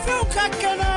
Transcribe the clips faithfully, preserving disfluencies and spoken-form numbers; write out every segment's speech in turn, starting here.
Sifinw ka kɛnɛ.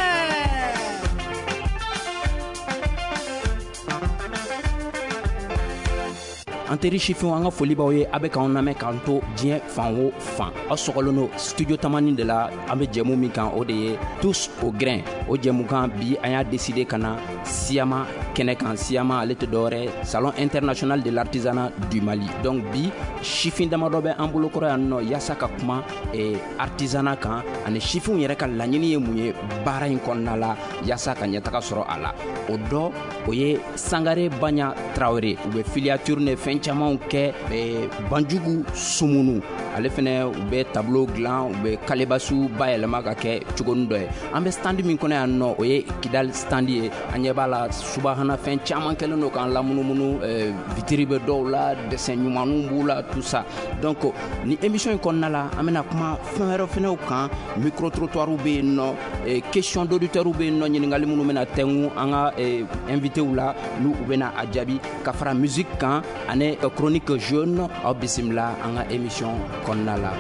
An teri sifinw, an ka foli b'aw ye. A bɛ k'anw lamɛn k'an to diɲɛ fan o fan, aw sɔgɔlen don Studio Tamani de la. An bɛ jɛmu min kan, o de ye Tous au grain. O jɛmukan bi, an y'a décidé ka na Siyama kɛnɛ kan. Siyama, ale tɛ dɔwɛrɛ, Salon international de l'artisanat du Mali. Donc bi, sifin damadɔ bɛ an bolokɔrɔ yan nɔ yaasa ka kuma eh, artisanat kan, ani sifinw yɛrɛ ka laɲini ye mun ye baara in kɔnɔna la, yaasa ka ɲɛtaga sɔrɔ a la. O dɔ, o ye Sangare Baɲa Tarawele. U bɛ filature ni fɛn camanw kɛ. eh, banjugu Sumunu, ale fɛnɛ, u bɛ tableau dilan, u bɛ kalebasu bayɛlɛma ka kɛ cogonin dɔ ye. An bɛ stand min kɔnɔ yan nɔ, o ye Kidal stand ye. An ɲɛ b'a la, subahana fɛn caman kɛlen don k'an lamunumunu. eh, vitiri bɛ dɔw la, dessin ɲumanw b'u la, tout ça. Donc ni émission in kɔnɔna la, an bɛna kuma fɛn wɛrɛ fɛnɛw kan. Micro trottoir bɛ yen nɔ, eh, question d'auditeurs bɛ yen nɔ, ɲininkali minnu bɛna tɛngu an ka eh, invitéw la, n'u u bɛna a jaabi, ka fara musique kan ani chronique jeune. Aw bisimila an ka émission kɔnɔna la.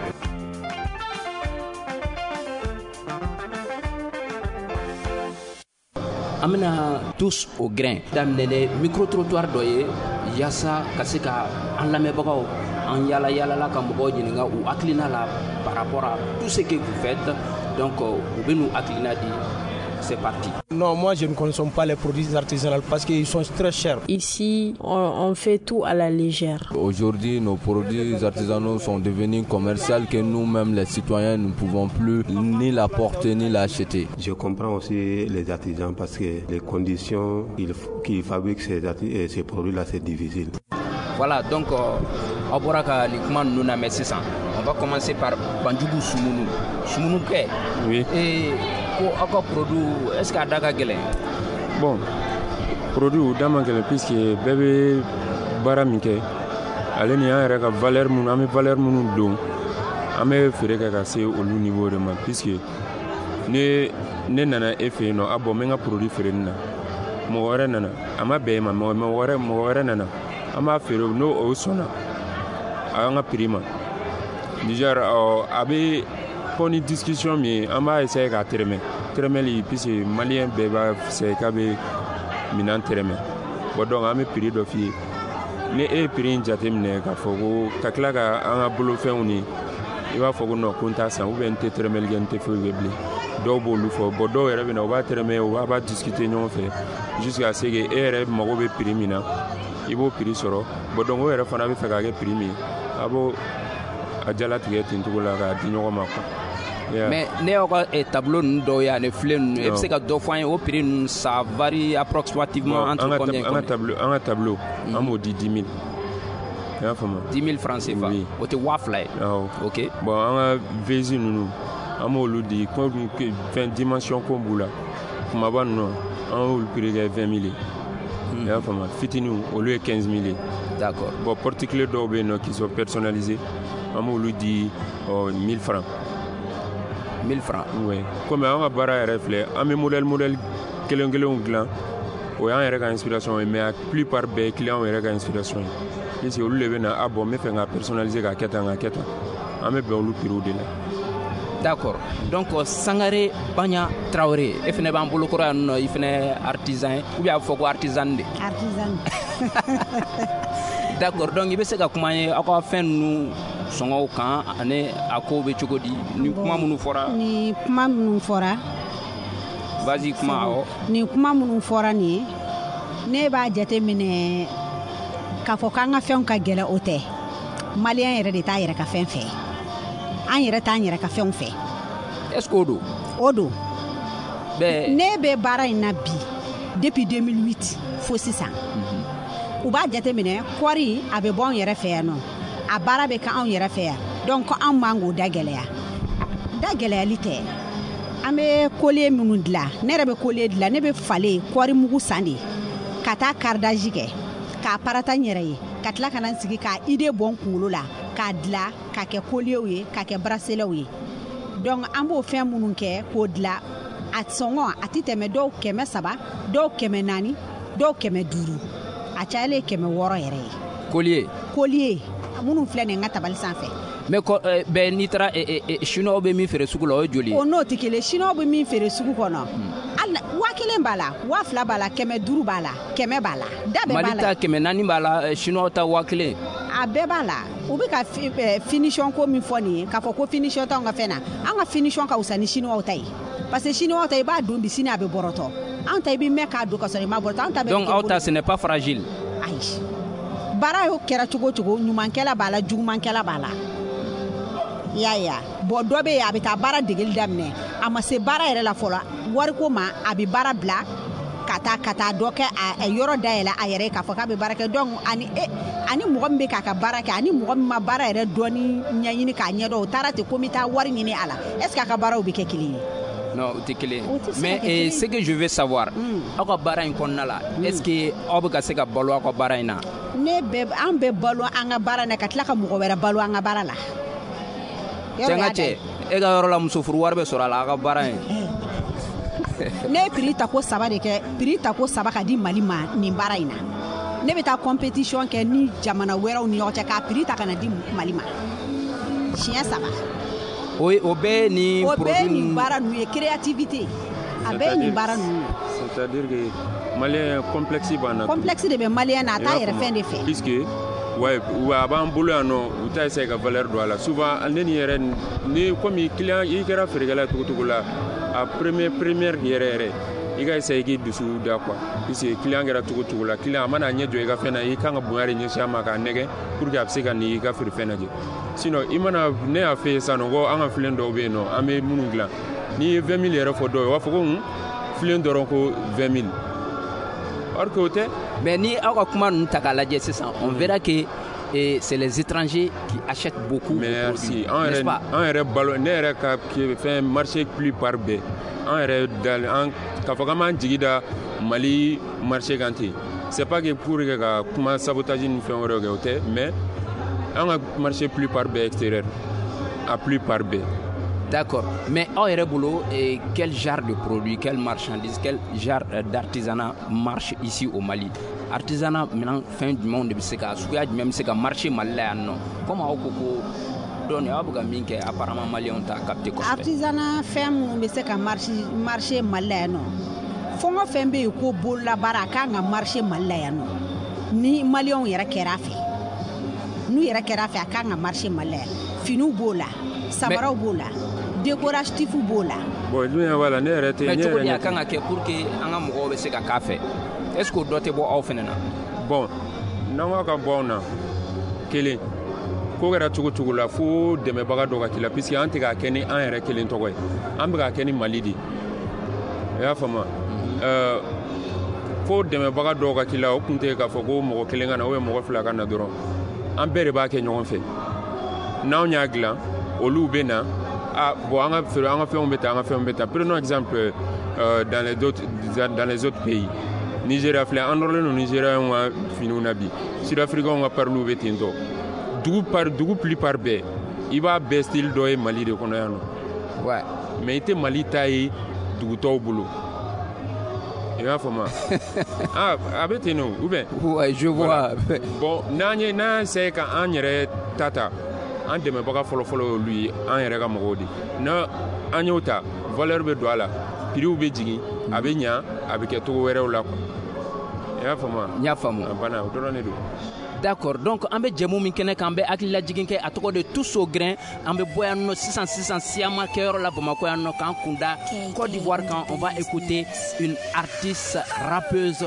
An bɛna Tous au grain daminɛ ni micro trottoir dɔ ye, yaasa ka se ka an lamɛnbagaw, an yala yalala ka mɔgɔw ɲininka u hakilina la par rapport à tout ce que vous faites. Donc u bɛ n'u hakilina di. C'est parti. Non, moi je ne consomme pas les produits artisanaux parce qu'ils sont très chers. Ici, on, on fait tout à la légère. Aujourd'hui, nos produits artisanaux sont devenus commerciaux que nous-mêmes, les citoyens, ne pouvons plus ni la porter ni l'acheter. Je comprends aussi les artisans parce que les conditions qu'ils fabriquent ces, ces produits-là, c'est difficile. Voilà, donc aw bɔra ka nin kuma ninnu lamɛn sisan. On va commencer par Banjugu Sumunu. Sumunu kɛ. Oui. Et ko aw ka produit, est ce que a da ka gɛlɛn? Bon, produit da man gɛlɛn puisque bɛɛ bɛ baara min kɛ, ale ni an yɛrɛ ka valeur minnu, an bɛ valeur minnu don, an bɛ feere kɛ ka se olu niveau de ma, puisque ne ne nana e fɛ yen nɔ, a bɔn, n bɛ n ka produit feere nin na, mɔgɔ wɛrɛ nana, a ma bɛn e ma, mɔgɔ wɛrɛ mɔgɔ wɛrɛ nana, an b'a feere n'o o sɔnna an ka prix ma. Déjà a bɛ fɔ ni discussion min ye, an b'a essayer k'a tɛrɛmɛ tɛrɛmɛli, puisque malien bɛɛ b'a essayer k'a bɛ minɛn tɛrɛmɛ. Bon, donc an bɛ prix dɔ f'i ye, ni e ye prix in jateminɛ k'a fɔ ko ka tila ka an ka bolofɛnw ni, i b'a fɔ ko non, ko n t'a san, ou bien n tɛ tɛrɛmɛli kɛ, n tɛ foyi kɛ bilen. Dɔw b'olu fɔ. Bon, dɔw yɛrɛ bɛ na, u b'a tɛrɛmɛ, u b'a discuter ɲɔgɔn fɛ jusqu'à ce que e yɛrɛ mago bɛ prix min na, i b'o prix sɔrɔ. Bon, donc o yɛrɛ fana bɛ fɛ k'a kɛ prix min ye, a b'o a jalatigɛ ten cogo la k'a di ɲɔgɔn ma quoi. Yeah. Mais ne y'aw ka tableau ninnu dɔw ye ani filen ninnu, e bɛ se ka dɔ fɔ an ye o prix ninnu, ça varie approximativement entre combien? An ka tableau, an ka tableau, an b'o di dix mille. I y'a faamu? dix mille francs C F A. Oui. O tɛ waa fila ye. Awɔ. Ok. Bon, an ka vase ninnu, an b'olu di comme fɛn dimension ko b'u la, kumaba ninnu, an y'olu prix kɛ vingt mille ye. I y'a faamu? Fitininw, olu ye quinze mille ye. D'accord. Bon, porte-clés dɔw bɛ yen nɔ qui sont personnalisés, an b'olu di mille francs. mille francs. Oui. Comme an ka baara yɛrɛ filɛ, an bɛ modèle modèle kelen kelenw dilan, o y'an yɛrɛ ka inspiration ye, mais a plupart bɛɛ ye client yɛrɛ ka inspiration ye, puisque olu de bɛ na, a bɔn, n bɛ fɛ ka personnaliser k'a kɛ tan, k'a kɛ tan, an bɛ bɛn olu prix de la. D'accord. Donc Sangare Baɲa Traoré, e fɛnɛ b'an bolokɔrɔ yan nɔ, i fɛnɛ artisan ye ou bien a bɛ fɔ ko artisan de? Artisan. D'accord. Donc i bɛ se ka kuma an ye aw ka fɛn ninnu sɔngɔw kan, ani a kow bɛ cogo di, ni kuma minnu fɔra? Ni kuma minnu fɔra. Vas-y, kuma awɔ. Ni kuma minnu fɔra nin ye, ne b'a jate minɛ k'a fɔ k'an ka fɛnw ka gɛlɛn, o tɛ. Malien yɛrɛ de t'a yɛrɛ ka fɛn fɛ. An yɛrɛ t'an yɛrɛ ka fɛnw fɛ. Est-ce que o don? O don. Bɛɛ. Ne bɛ baara in na bi depuis deux mille huit fo sisan. U b'a jateminɛ kɔɔri a bɛ bɔ anw yɛrɛ fɛ yan nɔ, a baara bɛ kɛ anw yɛrɛ fɛ yan, donc anw man k'o da gɛlɛya. Da gɛlɛyali tɛ. An bɛ collier minnu dilan, ne yɛrɛ bɛ collier dilan, ne bɛ falen kɔɔri mugu san de ka taa cardage kɛ, k'a parata n yɛrɛ ye, ka tila ka na n sigi k'a idée bɔ n kunkolo la, k'a dilan k'a kɛ collierw ye, k'a kɛ braceletw ye. Donc an b'o fɛn minnu kɛ k'o dilan, a sɔngɔ a tɛ tɛmɛ dɔw kɛmɛ saba, dɔw kɛmɛ naani, dɔw kɛmɛ duuru, a cayalen kɛmɛ wɔɔrɔ yɛrɛ ye. Collier. Collier minnu filɛ nin ye n ka tabali sanfɛ, Mais bɛɛ n'i taara chinois bɛ min feere sugu la, o ye joli ye? O n'o tɛ kelen. Chinois bɛ min feere sugu kɔnɔ, hali waa kelen b'a la, waa fila b'a la, kɛmɛ duuru b'a la, kɛmɛ b'a la, da bɛɛ b'a la. Mali ta kɛmɛ naani b'a la, chinois ta waa kelen. A bɛɛ b'a la. U bɛ ka finition ko min fɔ nin ye, k'a fɔ ko finition t'anw ka fɛn na, an ka finition ka wusa ni chinois ta ye, parce que chinois ta i b'a don bi, sini a bɛ bɔrɔtɔ. Anw ta i bɛ mɛn k'a don ka sɔrɔ i ma bɔrɔtɔ. Anw ta bɛ. Donc aw ta ce n'est pas fragile. Ayi, baara y'o kɛra cogo o cogo, ɲumankɛla b'a la, jugumankɛla b'a la. I y'a ye wa? Bon, dɔ bɛ yen, a bɛ taa baara degeli daminɛ, a ma se baara yɛrɛ la fɔlɔ, wariko ma, a bɛ baara bila ka taa ka taa dɔ kɛ a yɔrɔ dayɛlɛ a yɛrɛ ye k'a fɔ k'a bɛ baara kɛ. Donc ani e ani mɔgɔ min bɛ k'a ka baara kɛ, ani mɔgɔ min ma baara yɛrɛ dɔɔni ɲɛɲini k'a ɲɛdɔn, o taara ten ko n bɛ taa wari ɲini a la, est ce que a ka baaraw bɛ kɛ kelen ye? Non, o tɛ kelen. Mais eh, ce que je veux savoir, aw ka baara in kɔnɔna la, est ce que aw bɛ ka se ka balo aw ka baara in na? Ne bɛ, an bɛ balo an ka baara in na, ka tila ka mɔgɔ wɛrɛ balo an ka baara la. Cɛ, n ka cɛ, e ka yɔrɔ la muso furu wari bɛ sɔrɔ a la aw ka baara in? Ne ye prix tako saba de kɛ, prix tako saba ka di Mali ma nin baara in na. Ne bɛ taa compétition kɛ ni jamana wɛrɛw ni ɲɔgɔn cɛ k'a prix ta ka na di Mali ma siɲɛ saba. O o bɛɛ ni o bɛɛ nin baara ninnu ye créativité, a bɛɛ ye nin baara ninnu ye. C'est-à-dire que malien complexe b'an na. Complexe de bɛ malien na, a t'a yɛrɛ fɛn de fɛ. Puisque ouais, a b'an bolo yan nɔ, u t'a essayer ka valeur don a la. Souvent ne ni yɛrɛ ni komi client i kɛra feerekɛla cogo cogo la, a premier première yɛrɛ yɛrɛ i ka essayer k'i dusu da quoi, puisque client kɛra cogo cogo la, client a mana ɲɛ jɔ i ka fɛn na, i kan ka bonya de ɲɛsin a ma k'a nɛgɛ pour que a bɛ se ka n'i ka feerefɛn lajɛ. Sinon i mana ne y'a fɛ sisan nɔ ko an ka filen dɔw bɛ yen nɔ, an bɛ minnu dilan, n'i ye vingt mille yɛrɛ fɔ dɔw ye, u b'a fɔ ko hun, filen dɔrɔn ko vingt mille, or que o tɛ. Mais ni aw ka kuma ninnu ta k'a lajɛ sisan, on verra que et c'est les étrangers qui achètent beaucoup. Merci. N'est-ce pas? An yɛrɛ balo, ne yɛrɛ ka fɛn marché plupart bɛɛ, an yɛrɛ da an k'a fɔ k'an b'an jigi da Mali marché kan ten, c'est pas que pour que ka kuma sabotage ni fɛn wɛrɛw kɛ, o tɛ, mais an ka marché plupart bɛɛ extérieur, a plupart bɛɛ. D'accord. Mais aw yɛrɛ bolo, quel genre de produit, quelle marchandise, quel genre d'artisanat marche ici au Mali? Artisanat minɛn fɛn jumɛnw de bɛ se ka, suguya jumɛn bɛ se ka marcher Mali la yan nɔ? Comme aw ko ko dɔɔni aw bɛ ka min kɛ, apparemment maliyɛnw t'a capté kosɛbɛ. Artisanat fɛn minnu bɛ se ka marcher Mali la yan nɔ, fɛn o fɛn bɛ yen ko bololabaara, a kan ka marcher Mali la yan nɔ, ni maliyɛnw yɛrɛ kɛra a fɛ, n'u yɛrɛ kɛra a fɛ, a kan ka marcher Mali la yan. Finiw b'o la, samaraw b'o la, décoratif b'o la. Bon, dun b'a la, ne yɛrɛ tɛ. Mais cogo di a kan ka kɛ pour que an ka mɔgɔw bɛ se ka k'a fɛ? Est ce que o dɔ tɛ bɔ aw fɛnɛ na? Bon, n'an ko ka bɔ anw na, kelen ko kɛra cogo cogo la, fo dɛmɛbaga dɔ ka k'i la, puisque an tɛ k'a kɛ ni an yɛrɛ kelen tɔgɔ ye, an bɛ k'a kɛ ni Mali de ye. I y'a faamu? Ɛɛ fo dɛmɛbaga dɔw ka k'i la, o kun tɛ k'a fɔ ko mɔgɔ kelen ka na ou bien mɔgɔ fila ka na dɔrɔn, an bɛɛ de b'a kɛ ɲɔgɔn fɛ. N'anw y'a dilan, olu bɛ na, ah bon, an ka feere, an ka fɛnw bɛ ta, an ka fɛnw bɛ ta. Prenons exemple euh, dans les autres dans les autres pays. Nigeria filɛ, an nɔrɔlen don Nigériens ka finiw na bi, Sud-Africains ka pariliw bɛ ten tɔ. Dugu par dugu plupart bɛɛ, i b'a bɛɛ style dɔ ye Mali de kɔnɔ yan nɔ. Ouais. Mais i tɛ Mali ta ye dugu tɔw bolo. I b'a faamu? Ah, a bɛ ten nɔ, ou bien? Ouais, je vois. Voilà. Bon, n'an ye n'an essaye ka an yɛrɛ ta ta, an dɛmɛbaga fɔlɔfɔlɔ y'olu ye, an yɛrɛ ka mɔgɔw de. N'a an y'o ta, valeur bɛ don a la, prix bɛ jigin, a bɛ ɲa, a bɛ kɛ cogo wɛrɛw la quoi. I y'a faamu wa? N y'a faamu. A banna, o dɔrɔn de don. D'accord. Donc an bɛ jɛmu min kɛnɛ kan, an bɛ hakililajigin kɛ, a tɔgɔ de Tous au grain. An bɛ bɔ yan nɔ sisan sisan siyama kɛyɔrɔ la Bamakɔ yan nɔ, k'an kunda Côte d'Ivoire kan. On va écouter une artiste rappeuse,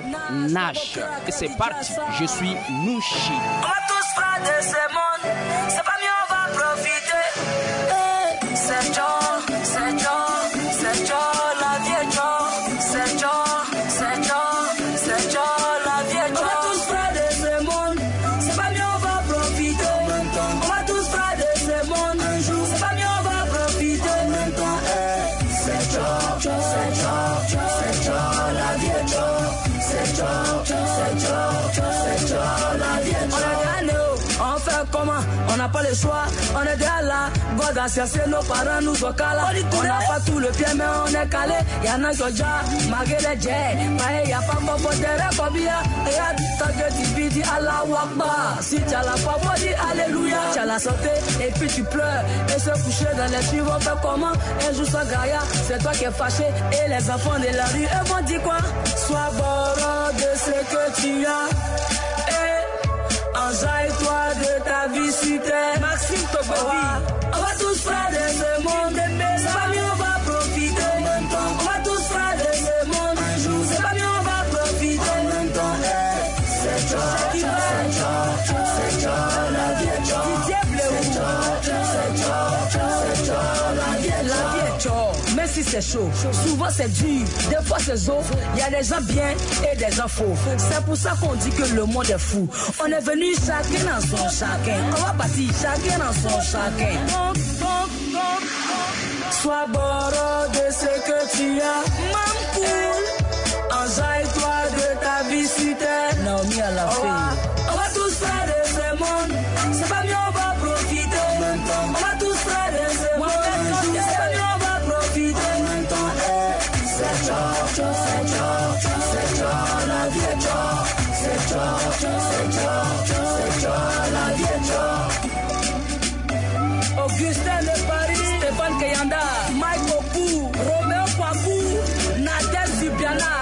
Nash. Et c'est parti. Je suis Nouchi. On va tous frères de ce monde, c'est pas mieux, on va profiter. Hey, c'est John, c'est John, c'est John, la vie est John, c'est John, c'est John, c'est John, la vie est John. On va tous frères de ce monde, c'est pas mieux, on va profiter. On va tous frères de ce monde, un jour, c'est pas mieux, on va profiter. En même temps, hey, c'est John, c'est John, c'est John, la vie est John, c'est John, c'est John, c'est John, la vie est John. On a gagné, on fait comment? On On n'a pas le choix, on est déjà là. God a cherché, nos parents nous ont calés. On n'a pas tout le pied, mais on est calé. Y'en a qui ont déjà marqué les jets. Mais y'a pas mon potere combien. Et y'a du temps que tu vis, dis Allah Akbar. Si tu as la foi, moi dis Alléluia. Tu as la santé et puis tu pleures. Et se coucher dans les rues, on fait comment? Un jour sans gaïa, c'est toi qui es fâché. Et les enfants de la rue, eux vont dire quoi? Sois bon de ce que tu as. Et enjaille-toi de ta vie sur terre. Maxime Togovi, on va tous faire de ce monde. C'est pas mieux, on va profiter. On va tous faire de ce monde. Un jour, c'est pas mieux, on va profiter. En même temps, c'est toi, c'est toi, c'est toi, la vie est toi. C'est toi, c'est toi, c'est toi, la vie est toi. La vie est toi. Même si c'est chaud, souvent c'est dur, des fois c'est zo. Il y a des gens bien et des gens faux. C'est pour ça qu'on dit que le monde est fou. On est venu chacun dans son chacun. On va partir chacun dans son chacun. Sois bord de ce que tu as. Mampoule, enjaille-toi de ta vie sur terre. Naomi à la fin. On va tous faire de ce monde. C'est pas mieux, on va profiter. On va tous faire de ce monde. C'est pas mieux, on va profiter. En même temps, c'est toi, c'est toi, c'est toi, la vie est toi. C'est toi, c'est toi, c'est toi, la vie est toi. Augustin de Paris, Stéphane Kayanda, Mike Oku, Roméo Kwaku, Nadel Subiana,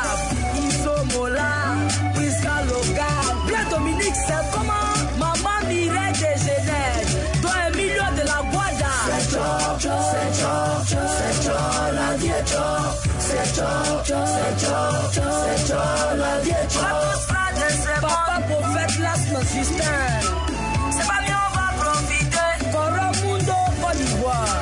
Iso Mola, Prisca Logan, Blain Dominique, c'est comment? Maman Mireille de Genève, toi un million de la Guada. C'est toi, c'est toi, c'est toi, la vie est toi. C'est toi, c'est toi, c'est toi, la vie est toi. Papa prophète Lasme Justin. C'est pas mieux, on va profiter. Coro Mundo, Côte d'Ivoire.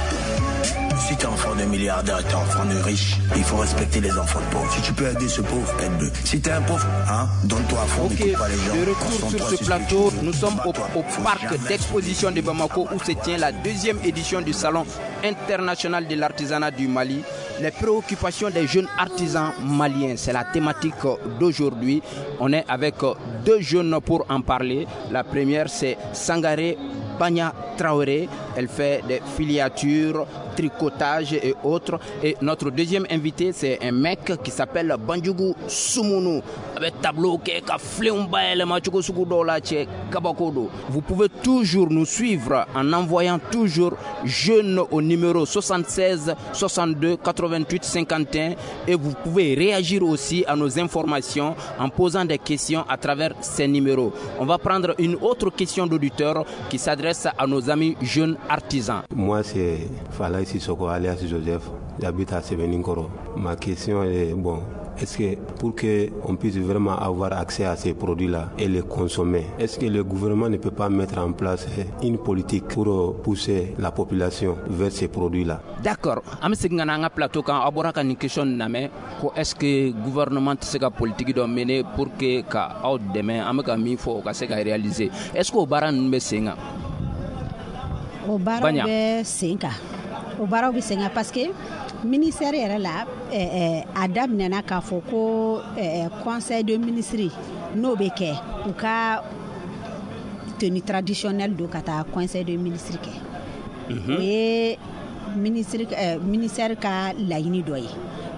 Si t'es enfant de milliardaire, t'es enfant de riche, il faut respecter les enfants de pauvres. Si tu peux aider ce pauvre, aide-le. Si t'es un pauvre, hein, donne-toi à fond, Ok, n'écoute pas les gens. de retour sur ce plateau, nous sommes au, au parc d'exposition de Bamako où se tient la deuxième édition du Salon international de l'artisanat du Mali. Les préoccupations des jeunes artisans maliens, c'est la thématique d'aujourd'hui. On est avec deux jeunes pour en parler. La première, c'est Sangaré Banya Traoré. Elle fait des filatures, tricotage et autres. Et notre deuxième invité, c'est un mec qui s'appelle Bandjougou Soumounou. Avec tableau kɛ ka filenw bayɛlɛma cogo sugu dɔw la cɛ kabako don. Vous pouvez toujours nous suivre en envoyant toujours jeune au numéro soixante-seize soixante-deux quatre-vingt-huit cinquante et un et vous pouvez réagir aussi à nos informations en posant des questions à travers ces numéros. On va prendre une autre question d'auditeur qui s'adresse à nos amis jeunes artisans. Moi, c'est Falaï Sissoko alias Joseph. J'habite à Sebeninkoro. Ma question est, bon, est-ce que pour qu'on puisse vraiment avoir accès à ces produits-là et les consommer, est-ce que le gouvernement ne peut pas mettre en place une politique pour pousser la population vers ces produits-là? D'accord. An bɛ segin ka na an ka plateau kan. Aw bɔra ka nin question lamɛn ko est-ce que gouvernement tɛ se ka politique dɔ mener pour que ka aw dɛmɛ, an bɛ ka min fɔ o ka se ka réaliser? Est-ce que o baara ninnu bɛ sen kan? O baaraw Baɲa. Bɛ sen kan, o baaraw bɛ sen kan parce que ministère yɛrɛ la, ɛɛ a daminɛna k'a fɔ ko ɛɛ conseil de ministre n'o bɛ kɛ, u ka tenue traditionnelle don ka taa conseil de ministre kɛ. O ye ministre ɛɛ ministère ka laɲini dɔ ye.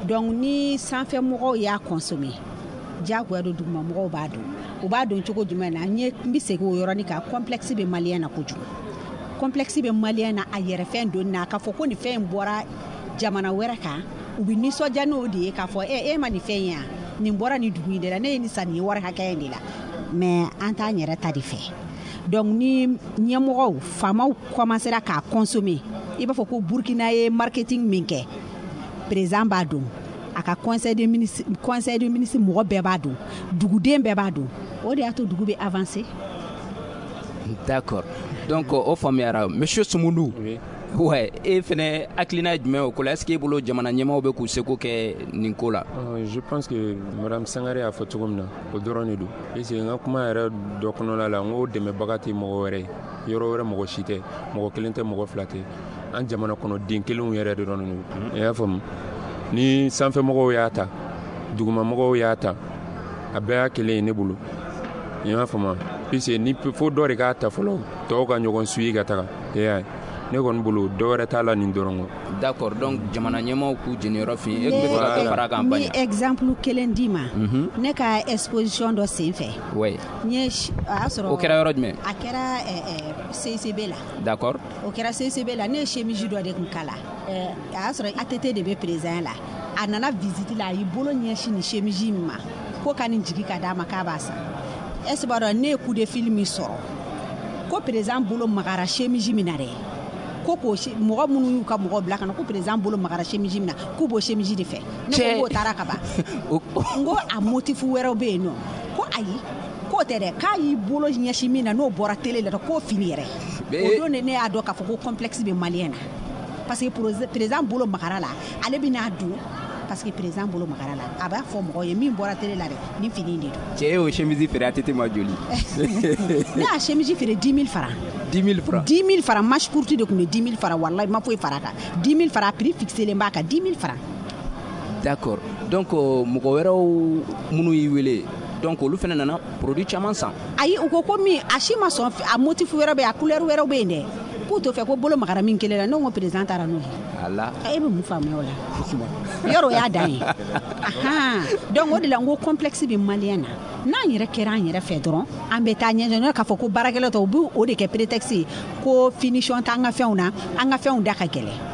Donc ni sanfɛ mɔgɔw y'a consommer, diyagoya don duguma mɔgɔw b'a dɔn. U b'a dɔn cogo jumɛn na? N ye n bɛ segin o yɔrɔnin kan. Complexe bɛ malien na kojugu, complexe bɛ malien na a yɛrɛ fɛn donni na, k'a fɔ ko nin fɛn in bɔra jamana wɛrɛ kan. U bɛ nisɔndiya n'o de ye k'a fɔ e e ma nin fɛn in yan, nin bɔra nin dugu in de la, ne ye nin san nin wari hakɛ in de la. Mais an t'an yɛrɛ ta de fɛ. Donc ni ɲɛmɔgɔw, faamaw commencera k'a consommer, i b'a fɔ ko Burkina ye marketing min kɛ, président b'a dɔn, a ka conseil de ministre conseil de ministre mɔgɔ bɛɛ b'a dɔn, duguden bɛɛ b'a dɔn. O de y'a to dugu bɛ avancer. D'accord. Donc o faamuyara. Monsieur Soumounou. Oui. Ouais, e fɛnɛ hakilina ye jumɛn o ko la? Est ce que e bolo jamana ɲɛmaaw bɛ k'u seko kɛ nin ko la? Euh, je pense que madame Sangare y'a fɔ cogo min na, o dɔrɔn de don. Parce que n ka kuma yɛrɛ dɔ kɔnɔna la, n ko dɛmɛbaga tɛ mɔgɔ wɛrɛ ye, yɔrɔ wɛrɛ mɔgɔ si tɛ, mɔgɔ kelen tɛ, mɔgɔ fila tɛ, an jamana kɔnɔ den kelenw yɛrɛ dɔrɔn de don. I y'a faamu? Ni sanfɛmɔgɔw y'a ta, dugumamɔgɔw y'a ta, a bɛɛ y'a kelen ye ne bolo. I y'a faamu? Puisque ni fo dɔ de k'a ta fɔlɔ. tɔw ka ɲɔgɔn suivi ka taga. E y'a ye, ne kɔni bolo dɔ wɛrɛ t'a la nin dɔrɔn kɔ. D'accord, donc jamana ɲɛmaaw k'u jeniyɔrɔ fin. E tun bɛ fɛ ka dɔ fara a kan? N bɛ exemple kelen d'i ma. Ne ka exposition dɔ sen fɛ. Oui. N ye a y'a sɔrɔ. O kɛra yɔrɔ jumɛn? A kɛra C C B la. D'accord. O kɛra C C B la, ne ye chemise dɔ de kun kala. A y'a sɔrɔ A T T de bɛ président la. A nana visite la, a y'i bolo ɲɛsin nin chemise in ma ko ka nin jigi ka d'a ma k'a b'a san. Est ce b'a dɔn ne ye coup de fil min sɔrɔ ko président bolo magara chemise min na dɛ, ko k'o mɔgɔ minnu y'u ka mɔgɔ bila ka na ko président bolo magara chemise min na k'u b'o chemise de fɛ. Ne ko k'o taara ka ban. N ko a motif wɛrɛw bɛ yen nɔ, ko ayi k'o tɛ dɛ, k'a y'i bolo ɲɛsin min na n'o bɔra télé la k'o fini yɛrɛ. O don de ne y'a dɔn k'a fɔ ko complexe bɛ malien na, parce que président bolo magara la, ale bɛ n'a don parce que président bolo magara la, a b'a fɔ mɔgɔw ye min bɔra télé la dɛ, nin fini de don. Cɛ y'o chemise feere A T T ma joli? Ne y'a chemise feere dix mille francs. dix mille francs. dix mille francs, manche courte de tun bɛ dix mille francs, walahi ma foyi fara a kan. dix mille francs prix fixé len b'a kan, dix mille francs. D'accord, donc mɔgɔ wɛrɛw minnu y'i wele, donc olu fana nana produit caman san. Ayi, u ko ko min a si ma sɔn, a motif wɛrɛ bɛ yen, a couleur wɛrɛw bɛ yen dɛ, k'u t'o fɛ, ko bolo magara min kelen la. Ne ko président taara n'o ye. Ala. E bɛ mun faamuya o la? Yɔrɔ o y'a dan ye. Donc o de la n ko complexe bɛ malien na. N'an yɛrɛ kɛra an yɛrɛ fɛ dɔrɔn, an bɛ taa ɲɛjɔ k'a fɔ ko baarakɛlaw tɛ, u b'o de kɛ prétexte ye ko finition t'an ka fɛnw na, an ka fɛnw da ka gɛlɛn.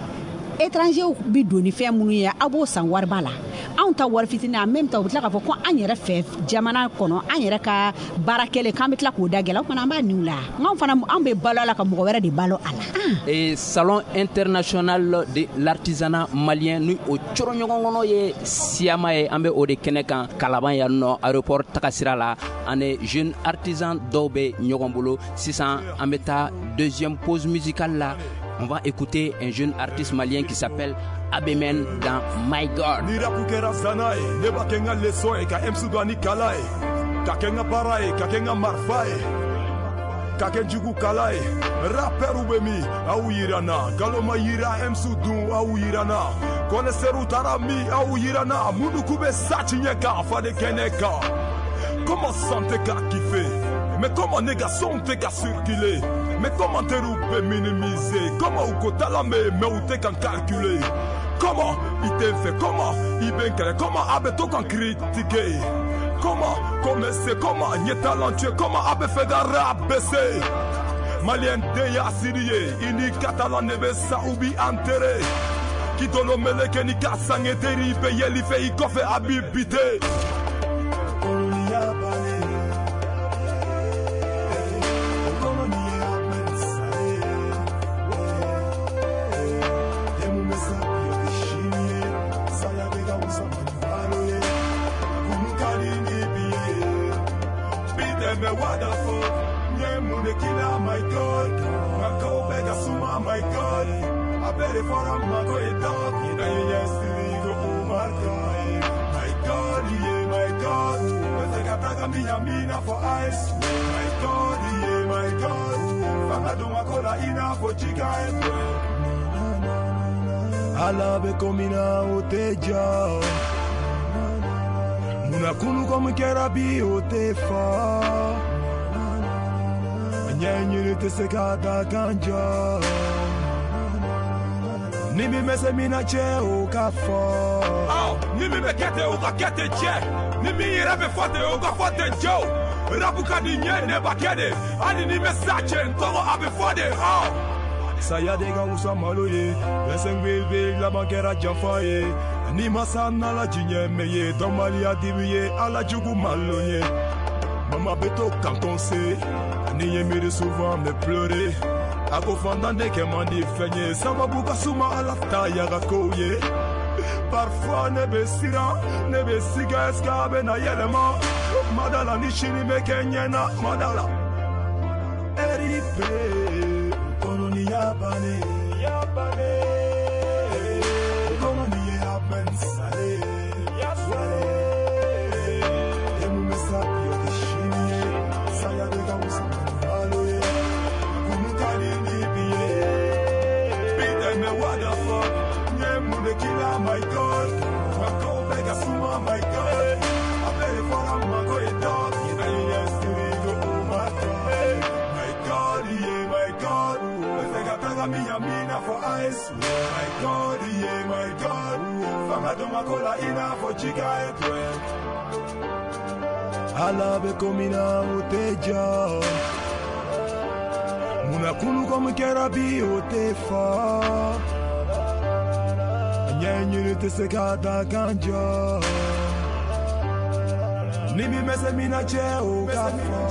Étrangers bɛ don ni fɛn minnu ye, aw b'o san wariba la, anw ta wari fitinin. En même temps u bɛ tila k'a fɔ ko an yɛrɛ fɛ jamana kɔnɔ, an yɛrɛ ka baara kɛlen k'an bɛ tila k'o da gɛlɛn. O fana an b'a niw la, nka fana an bɛ balo a la ka mɔgɔ wɛrɛ de balo a la. Et salon international de l'artisanat malien ni o coro ɲɔgɔn kɔnɔ ye siyama ye, an bɛ o de kɛnɛ kan Kalaban yan nɔ aéroport tagasira la. Ani jeune artisan dɔw bɛ ɲɔgɔn bolo sisan. An bɛ taa deuxième pause musicale la. On va écouter un jeune artiste malien qui s'appelle Abemen dans My God. Ni rap kɛra zana ye, ne b'a kɛ n ka leçon ye, ka M C don ani kala ye, ka kɛ n ka baara ye, ka kɛ n ka marifa ye, ka kɛ jugu kala ye. Rappeurw bɛ min, aw yira n na. Nkalon ma yira M C dun, aw yira n na. Connaisseurs taara min, aw yira n na. Minnu k'u bɛ sa tiɲɛ kan, faden kɛnɛ kan. Comment santé ka kiffer? Mais comment négation tɛ ka circuler? Mais comment teriw bɛ minimiser? Comment u ko tala mɛ, mais u tɛ kan calculer? Comment i tɛ n fɛ? Comment i bɛ n kɛlɛ? Comment a bɛ to kan critiquer? Comment commencer? Comment n ye talentueux? Comment a bɛ fɛ ka rap baisser? Malien den y'a siri ye, i ni catalan de bɛ sa u b'i enterrer. K'i tolo meleke ni ka sange teri bɛ yɛl'i fɛ i kɔfɛ a b'i biter. What the fuck? My God, my God, I bet for a dog. My God, my God, for ice. My God, my God, Ala be komina oteja. Muna kunu komi kɛra bi o tɛ fa. Ɲɛɲini tɛ se ka da kan jɔ. Ni min bɛ se min na cɛ o ka fɔ. Ni min bɛ kɛ ten o ka kɛ ten cɛ. Ni min yɛrɛ bɛ fɔ ten o ka fɔ ten cɛw. Rapu ka di n ye ne b'a kɛ de. Hali ni bɛ sa cɛ n tɔgɔ a bɛ fɔ de. Saya de ka wusa malo ye. vingt-cinq V V laban kɛra janfa ye. Ni masa n'ala diɲɛ mɛ ye, dɔnbaliya dimi ye, ala jugu malo ye. Mama bɛ to kan conseil, ni ye miiri souvent me pleurer. A ko fantan de kɛ man di fɛn ye, sababu ka suma ala ta yaga kow ye. Parfois ne bɛ siran, ne bɛ siga est-ce que a bɛ na yɛlɛma? Madala ni sini bɛ kɛ ɲɛna, madala. R I P, kɔnɔ ni yabane, yabane. Kɔnɔ ni ye abɛn sale, yasale. Emu bɛ sa bi o tɛ sini ye, saya de ka wusa malo ye. Kunu ka di ni bi ye. Bi dɛmɛ what the fuck? N ye mun de k'i la my God? Nka kow bɛɛ ka suma my God. A bɛɛ de fɔra n ma ko ye dɔg. My God, yeah, ɲagami ɲami i n'a fɔ ice. My God, yeah, my God. Fanga dɔ ma ko la i n'a fɔ jika étoile. Ala bɛ ko min na o tɛ jɔ. Munna kunu ko min kɛra bi o tɛ fɔ. Ɲɛɲini tɛ se ka da kan jɔ. Ni min bɛ se min na cɛ o ka fɔ.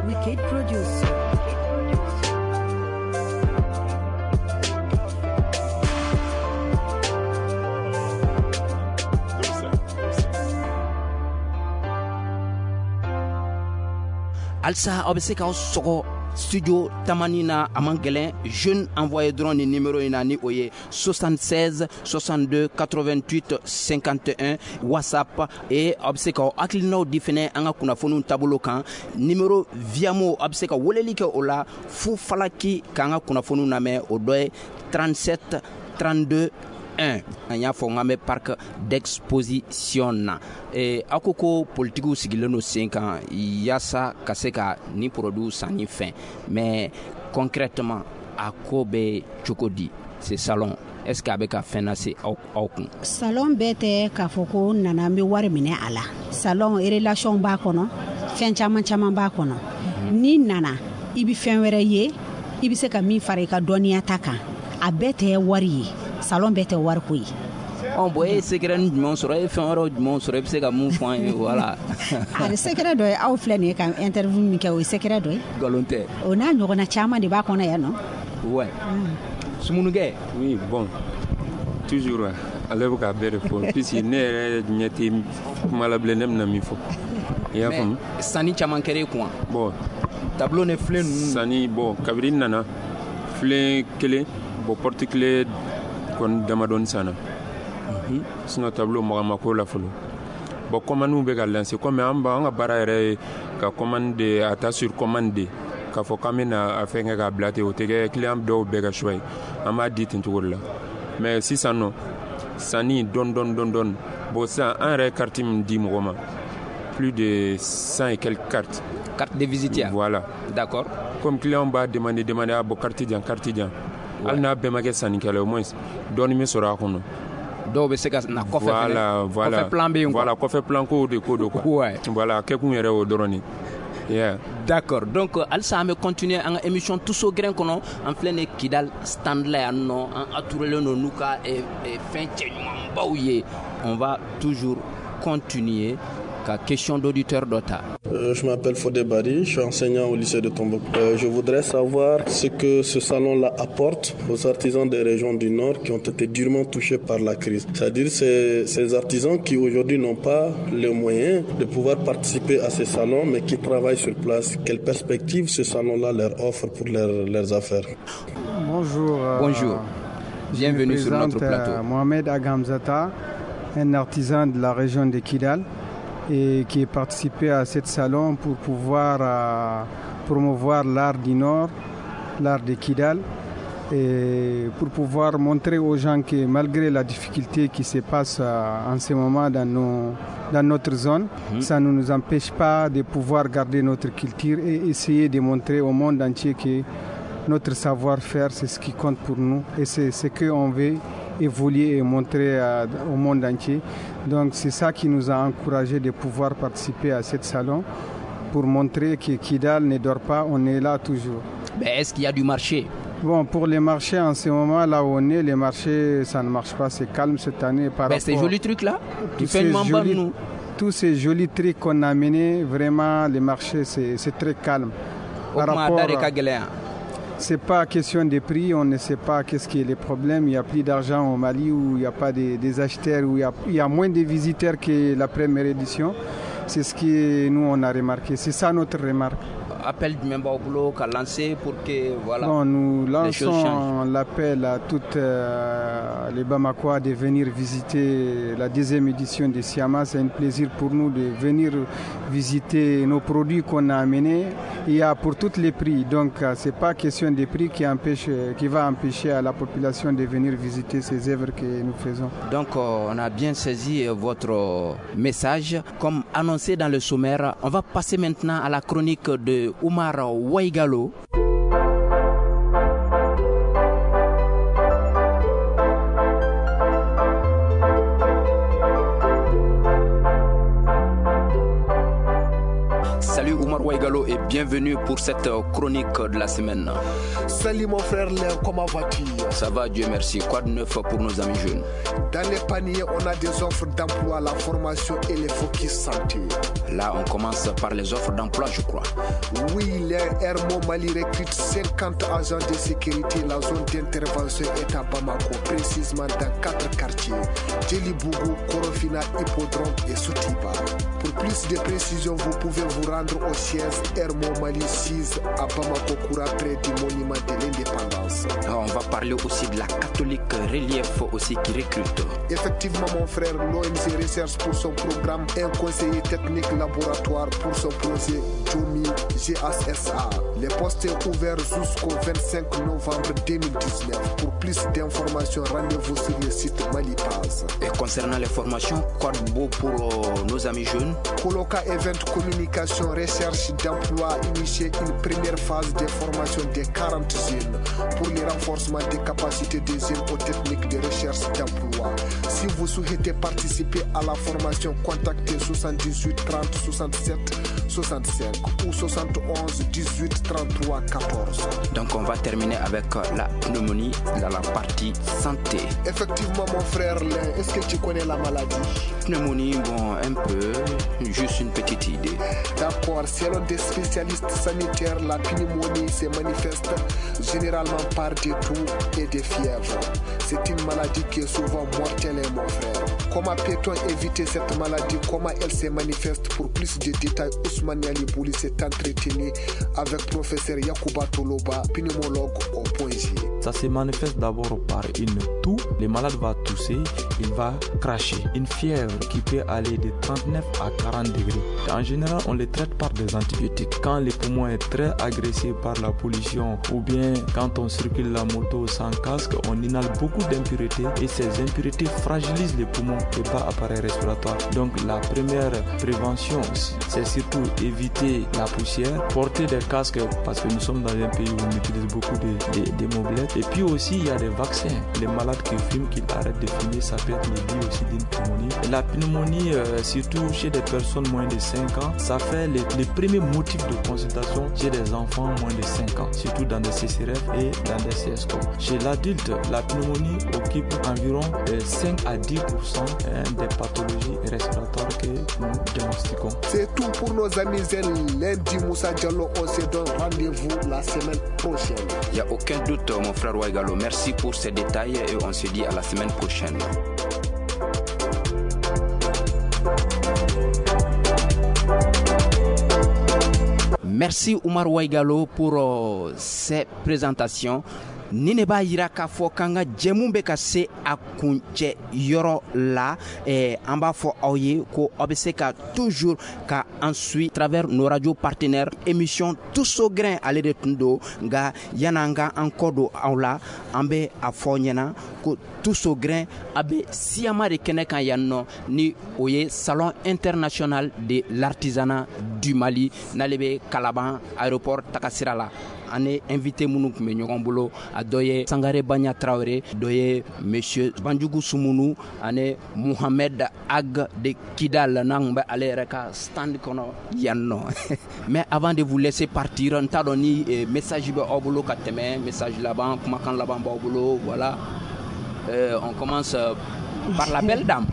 Wicked Producer. Halisa aw bɛ se k'aw sɔgɔ studio Tamani na, a man gɛlɛn. Jeune envoyé dɔrɔn ni numéro in na, ni o ye soixante-seize soixante-deux quatre-vingt-huit cinquante et un, WhatsApp. Et aw bɛ se k'aw hakilinaw di fɛnɛ an ka kunnafoniw taabolo kan. Numéro Viamo, aw bɛ se ka weleli kɛ o la fu falaki k'an ka kunnafoniw lamɛn, o dɔ ye trente-sept trente-deux un. An y'a fɔ n k'an bɛ parc d'exposition na. Eh, aw ko ko politikiw sigilen don sen kan yaasa ka se ka nin produit sanni fɛn, mais concrètement a ko bɛ cogo di? Ce salon, est ce que a bɛ ka fɛn lase aw aw kun? Salon bɛɛ tɛ k'a fɔ ko n nana n bɛ wari minɛ a la. Salon, relation b'a kɔnɔ, fɛn caman caman b'a kɔnɔ. N'i nana, i bɛ fɛn wɛrɛ ye, i bɛ se ka min fara i ka dɔnniya ta kan. A bɛɛ tɛ wari ye, salon bɛɛ tɛ wariko ye. Ɔ bon, e ye secret jumɛn sɔrɔ? E ye fɛn wɛrɛw jumɛn sɔrɔ? E bɛ se ka mun fɔ an ye? Voilà. A secret dɔ ye, aw filɛ nin ye ka interview min kɛ, o ye secret dɔ ye. Nkalon tɛ. O n'a ɲɔgɔnna caman de b'a kɔnɔ yan nɔ. Ouais. Sumunukɛ. Oui, bon, toujours ale bɛ k'a bɛɛ de fɔ, puisque ne yɛrɛ ɲɛ tɛ kuma la bilen, ne bɛna min fɔ, i y'a faamu. Sanni caman kɛra e kun wa? Bon. Tableau ni filen ninnu. Sanni, bon, kabini n nana, filen kelen, bon, porte clé kɔni damadɔni sanna. Sinon tableau maga ma ko la fɔlɔ. Bon, commande bɛ ka lancer, comme an b'an ka baara yɛrɛ ye ka commande de a ta sur commande de k'a fɔ k'an bɛna a fɛn kɛ k'a bila ten, o tɛ kɛ client dɔw bɛɛ ka choix ye, an b'a di ten cogo de la. Mais sisan nɔ, sanni dɔɔni dɔɔni dɔɔni dɔɔni. Bon, sisan an yɛrɛ ye carte min di mɔgɔ ma, plus de cent et quelques cartes. Carte de visite ya? Voilà. D'accord. Comme client b'a demander demander, a bɔ carte di yan, carte di yan, hali n'a bɛɛ ma kɛ sannikɛla ye, au moins dɔɔni bɛ sɔrɔ a kɔnɔ. Dɔw bɛ se ka na kɔfɛ. Voilà, voilà. Kɔfɛ plan bɛ yen quoi. Voilà, kɔfɛ plan ko de ko don quoi. Ouais. Voilà, kɛkun yɛrɛ o dɔrɔn de. Yeah. D'accord. Donc halisa an bɛ continuer an ka émission Tous au grain kɔnɔ. An filɛ nin ye Kidal stand la yan nɔ, an entouré don n'u ka fɛn cɛɲumanbaw ye. On va toujours continuer ka question d'auditeur dɔ ta. Euh, je m'appelle Fodé Bari, je suis enseignant au lycée de Tombouctou. Euh, je voudrais savoir ce que ce salon-là apporte aux artisans des régions du Nord qui ont été durement touchés par la crise. C'est-à-dire ces, ces artisans qui aujourd'hui n'ont pas les moyens de pouvoir participer à ces salons, mais qui travaillent sur place. Quelle perspective ce salon-là leur offre pour leur, leurs affaires? Bonjour. Euh, Bonjour. Bienvenue sur notre plateau. Mohamed Agamzata, un artisan de la région de Kidal et qui a participé à ce salon pour pouvoir euh, promouvoir l'art du Nord, l'art de Kidal, et pour pouvoir montrer aux gens que malgré la difficulté qui se passe euh, en ce moment dans, nos, dans notre zone, mmh. ça ne nous empêche pas de pouvoir garder notre culture et essayer de montrer au monde entier que notre savoir-faire, c'est ce qui compte pour nous et c'est ce qu'on veut évoluer et montrer à, au monde entier. Donc c'est ça qui nous a encouragé de pouvoir participer à ce salon pour montrer que Kidal ne dort pas, on est là toujours. Mais est-ce qu'il y a du marché? Bon, pour les marchés, en ce moment, là où on est, les marchés, ça ne marche pas, c'est calme cette année. Par Mais ces jolis trucs là, tu fais jolis, nous. Tous ces jolis trucs qu'on a amenés, vraiment, les marchés, c'est, c'est très calme. Par rapport à, c'est pas question de prix, on ne sait pas qu'est-ce qui est le problème. Il n'y a plus d'argent au Mali, où il n'y a pas de, des acheteurs, où il y a, il y a moins de visiteurs que la première édition. C'est ce que nous on a remarqué. C'est ça notre remarque. Appel du même boulot qu'a lancé pour que voilà. Bon, nous lançons l'appel à toutes euh, les Bamakois de venir visiter la deuxième édition de Siama. C'est un plaisir pour nous de venir visiter nos produits qu'on a amenés Il y a pour tous les prix, donc c'est pas question des prix qui empêche, qui va empêcher à la population de venir visiter ces œuvres que nous faisons. Donc on a bien saisi votre message. Comme annoncé dans le sommaire, on va passer maintenant à la chronique de Oumar Waigalo. Salut Oumar Waigalo et bienvenue pour cette chronique de la semaine. Salut mon frère Léon, comment vas-tu? Ça va, Dieu merci. Quoi de neuf pour nos amis jeunes? Dans les paniers, on a des offres d'emploi, la formation et les focus santé. Là, on commence par les offres d'emploi, je crois. Oui, les Hermo Mali recrute cinquante agents de sécurité. La zone d'intervention est à Bamako, précisément dans quatre quartiers: Djelibougou, Korofina, Hippodrome et Sotiba. Pour plus de précisions, vous pouvez vous rendre au siège Hermo Mali six à Bamako Koura, près du monument de l'indépendance. On va parler aussi de la catholique Relief aussi qui recrute. Effectivement, mon frère, l'O N G recherche pour son programme un conseiller technique laboratoire pour son projet Jomi G S S A. Le poste est ouvert jusqu'au vingt-cinq novembre deux mille dix-neuf. Pour plus d'informations, rendez-vous sur le site Malipass. Et concernant les formations, quoi de beau pour euh, nos amis jeunes? Coloca Event Communication Recherche d'emploi initié une première phase de formation de quarante jeunes pour le renforcement des capacités des jeunes aux techniques de recherche d'emploi. Si vous souhaitez participer à la formation, contactez soixante-dix-huit trente soixante-sept soixante-cinq ou soixante et onze dix-huit trente-trois quatorze. Donc on va terminer avec la pneumonie dans la partie santé. Effectivement mon frère, est-ce que tu connais la maladie? Pneumonie, bon, un peu, juste une petite idée. D'accord, selon des spécialistes sanitaires, la pneumonie se manifeste généralement par des toux et des fièvres. C'est une maladie qui est souvent mortelle, mon frère. Comment peut-on éviter cette maladie? Comment elle se manifeste? Pour plus de détails, Ousmane Ali Bouli s'est entretenu avec professeur Yacouba Toloba, pneumologue au Point G. Ça se manifeste d'abord par une toux. Le malade va tousser, il va cracher. Une fièvre qui peut aller de trente-neuf à quarante degrés. En général, on les traite par des antibiotiques. Quand le poumon est très agressé par la pollution ou bien quand on circule la moto sans casque, on inhale beaucoup d'impuretés et ces impuretés fragilisent les poumons et pas appareil respiratoire. Donc la première prévention, c'est surtout éviter la poussière, porter des casques parce que nous sommes dans un pays où on utilise beaucoup de, de, de mobilettes. Et puis aussi, il y a des vaccins. Les malades qui fument, qui arrêtent de fumer, ça peut être lié aussi d'une pneumonie. Et la pneumonie, euh, surtout chez des personnes moins de cinq ans, ça fait les, les premiers motifs de consultation chez des enfants moins de cinq ans, surtout dans des C C R F et dans des C S C O. Chez l'adulte, la pneumonie occupe environ cinq à dix pour cent des pathologies respiratoires que nous diagnostiquons. C'est tout pour nos amis. Lundi, Moussa Diallo, on se donne rendez-vous la semaine prochaine. Il n'y a aucun doute, mon frère Waigalo. Merci pour ces détails et on se dit à la semaine prochaine. Merci Oumar Waigalo pour euh, ces présentations. Ni ne b'a yira k'a fɔ k'an ka jɛmu bɛ ka se a kuncɛ yɔrɔ la, eh, an b'a fɔ aw ye ko aw bɛ se ka toujours ka an suit travers nos radios partenaires. Émission Tous au grain ale de tun don, nka yan'an ka an kɔ don aw la, an bɛ a fɔ ɲɛna ko Tous au grain a bɛ siyama de kɛnɛ kan yan nɔ, ni o ye Salon international de l'artisanat du Mali, n'ale bɛ Kalaban aéroport tagasira la. An ye invité minnu tun bɛ ɲɔgɔn bolo, a dɔ ye Sangare Banya Traoré, dɔ ye Monsieur Banjugu Sumunu ani Mohamed Ag de Kidal, n'an tun bɛ ale yɛrɛ ka stand kɔnɔ yan nɔ. Mais avant de vous laisser partir, n t'a dɔn ni message bɛ aw bolo ka tɛmɛ, message laban, kumakan laban b'aw bolo, voilà. Euh, on commence par la belle dame.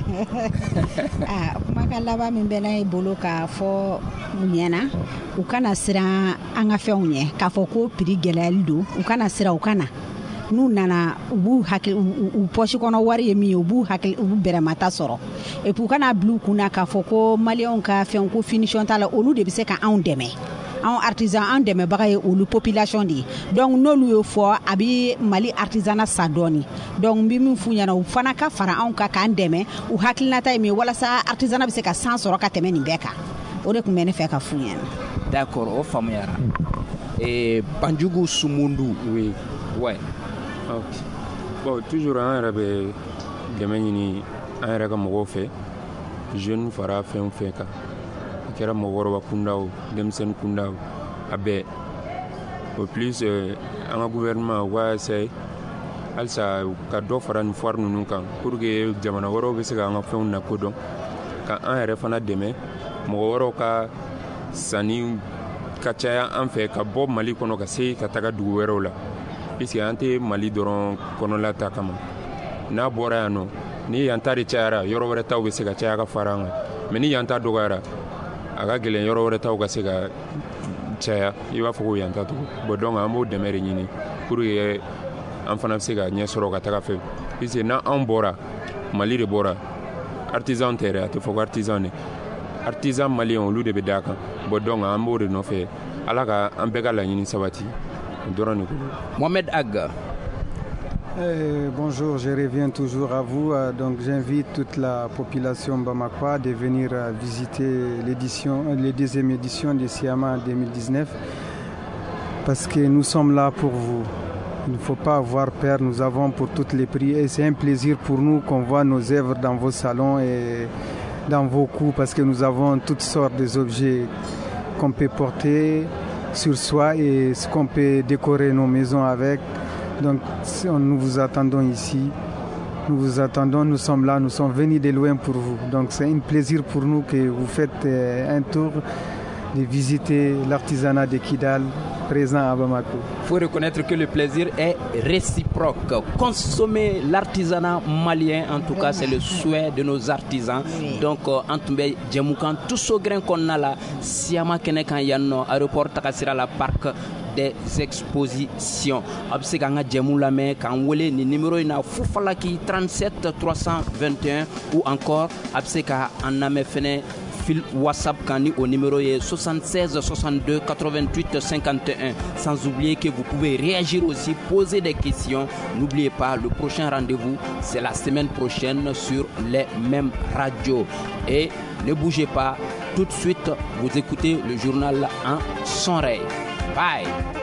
Ah, kumakan laban min bɛ ne bolo k'a fɔ u ɲɛna, u kana siran an ka fɛnw ɲɛ, k'a fɔ ko prix gɛlɛyali don, u kana siran, u kana. N'u nana, u b'u hakili, u poche kɔnɔ wari ye min ye, u b'u hakili, u b'u bɛrɛmata sɔrɔ. Et puis u kana bila u kunna k'a fɔ ko maliyɛnw ka fɛnw ko finition t'a la, olu de bɛ se ka anw dɛmɛ. Anw artisan, an dɛmɛbaga ye olu population de ye. Donc n'olu y'o fɔ, a bɛ Mali artisanat sa dɔɔni. Donc n bɛ min f'u ɲɛna, u fana ka fara anw kan k'an dɛmɛ, u hakilinata ye min ye walasa artisanat bɛ se ka san sɔrɔ ka tɛmɛ nin bɛɛ kan. O de tun bɛ ne fɛ ka f'u ɲɛna. D'accord, o faamuyara. Et Banjugu Sumundu. Oui. Ouais. Ok. Bon, toujours an yɛrɛ bɛ dɛmɛ ɲini an yɛrɛ ka mɔgɔw fɛ, jeune fara fɛn o fɛn kan, a kɛra mɔgɔkɔrɔba kunda o, denmisɛnnin kunda o, a bɛɛ. Au plus euh, an ka gouvernement u ka essayer halisa ka dɔ fara nin foire ninnu kan pour que jamana wɛrɛw bɛ se ka an ka fɛnw lakodɔn, ka an yɛrɛ fana dɛmɛ, mɔgɔ wɛrɛw ka sanni ka caya an fɛ ka bɔ Mali kɔnɔ ka se ka taga dugu wɛrɛw la, puisque an tɛ Mali dɔrɔn kɔnɔla ta kama. N'a bɔra yan nɔ, ni yan ta de cayara, yɔrɔ wɛrɛ taw bɛ se ka caya ka fara an kan, mais ni yan ta dɔgɔyara, a ka gɛlɛn yɔrɔ wɛrɛ taw ka se ka caya i b'a fɔ ko yan ta tugun. Bon, donc an b'o dɛmɛ de ɲini pour que an fana bɛ se ka ɲɛ sɔrɔ ka taga fɛ, puisque n'an bɔra, Mali de bɔra, artisan tɛ dɛ, a tɛ fɔ ko artisan de, artisan malien olu de bɛ d'a kan. Bon, donc an b'o de nɔfɛ, Ala ka an bɛɛ ka laɲini sabati, o dɔrɔn de ko. Mohamed Ag. Eh, bonjour, je reviens toujours à vous. Donc j'invite toute la population bamakoise de venir visiter l'édition, la deuxième édition de SIAMA deux mille dix-neuf, parce que nous sommes là pour vous. Il ne faut pas avoir peur, nous avons pour tous les prix et c'est un plaisir pour nous qu'on voit nos œuvres dans vos salons et dans vos coups, parce que nous avons toutes sortes d'objets qu'on peut porter sur soi et ce qu'on peut décorer nos maisons avec. Donc nous vous attendons ici, nous vous attendons, nous sommes là, nous sommes venus de loin pour vous. Donc c'est un plaisir pour nous que vous faites un tour de visiter l'artisanat de Kidal présent à Bamako. Il faut reconnaître que le plaisir est réciproque. Consommer l'artisanat malien, en tout cas, c'est le souhait de nos artisans. Oui. Donc, en tout cas, jɛmukan tous au grain qu'on a là, Siama kɛnɛ kan yan nɔ, aéroport tagasira la, parc des expositions. A bɛ se k'an ka jɛmu lamɛn k'an wele ni numéro in na, Fufalaki trente-sept trois cent vingt et un, ou encore a bɛ se ka an lamɛn fɛnɛ fil WhatsApp kan ni o numéro ye soixante-seize soixante-deux quatre-vingt-huit cinquante et un. Sans oublier que vous pouvez réagir aussi, poser des questions. N'oubliez pas, le prochain rendez-vous, c'est la semaine prochaine sur les mêmes radios. Et ne bougez pas, tout de suite, vous écoutez le journal en son oreille. Bye!